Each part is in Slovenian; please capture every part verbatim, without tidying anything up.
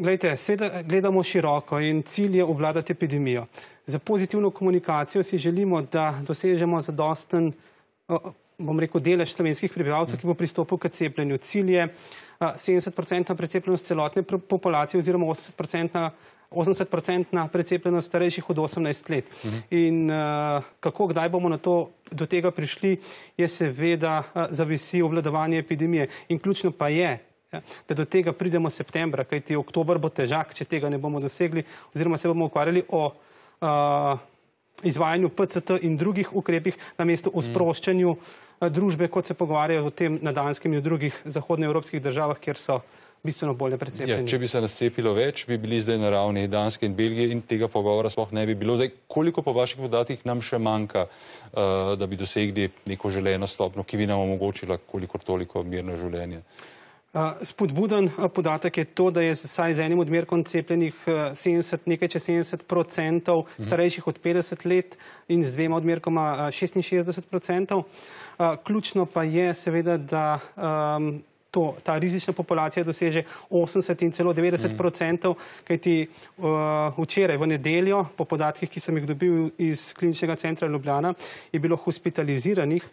Glejte, seveda gledamo široko in cilj je obvladati epidemijo. Za pozitivno komunikacijo si želimo, da dosežemo zadosten, bom rekel, delež slovenskih prebivalcev, ki bo pristopil k cepljenju. Cilj je sedemdeset procentna precepljenost celotne populacije oziroma osemdeset procentna precepljenost starejših od osemnajst let. In uh, kako, kdaj bomo na to, do tega prišli, je seveda uh, zavisi obvladovanje epidemije. In ključno pa je, ja, da do tega pridemo septembra, kajti oktober bo težak, če tega ne bomo dosegli, oziroma se bomo ukvarjali o uh, izvajanju P C T in drugih ukrepih, namesto o sproščanju uh, družbe, kot se pogovarjajo o tem na Danskem in v drugih zahodnoevropskih državah, kjer so bistveno bolje precepljeni. Ja, če bi se nas cepilo več, bi bili zdaj na ravni Danske in Belgije in tega pogovora sploh ne bi bilo. Zdaj, koliko po vaših podatkih nam še manjka, uh, da bi dosegli neko želeno stopnjo, ki bi nam omogočila kolikor toliko mirno življenje? Uh, spodbuden uh, podatek je to, da je saj z enim odmerkom cepljenih uh, sedemdeset, nekaj čez sedemdeset procentov starejših od petdeset let in z dvema odmerkoma uh, šestinšestdeset procentov. Uh, ključno pa je seveda, da um, To, ta rizična populacija doseže osemdeset in celo devetdeset procentov, kajti uh, včeraj v nedeljo, po podatkih, ki sem jih dobil iz Kliničnega centra Ljubljana, je bilo hospitaliziranih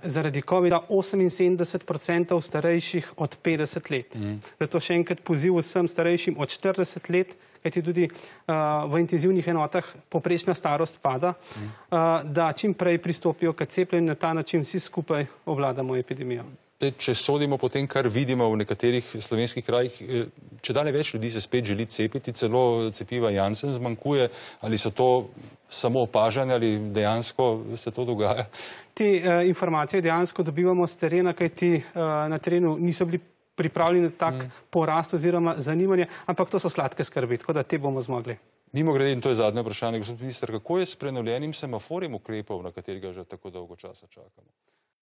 zaradi covida oseminsedemdeset procentov starejših od petdeset let. Mm. Zato še enkrat poziv vsem starejšim od štirideset let, kajti tudi uh, v intenzivnih enotah poprečna starost pada, mm. uh, da čim prej pristopijo k cepljenju, na ta način vsi skupaj obvladamo epidemijo. Če sodimo po tem, kar vidimo v nekaterih slovenskih krajih, če dalje več ljudi se spet želi cepiti, celo cepiva Janssen zmanjkuje, ali so to samo opažanja ali dejansko se to dogaja? Te uh, informacije dejansko dobivamo z terena, kajti uh, na terenu niso bili pripravljeni na tak mm. porast oziroma zanimanje, ampak to so sladke skrbi, tako da te bomo zmogli. Mimogrede, in to je zadnje vprašanje, gospod minister, kako je s prenovljenim semaforjem ukrepov, na katerega že tako dolgo časa čakamo?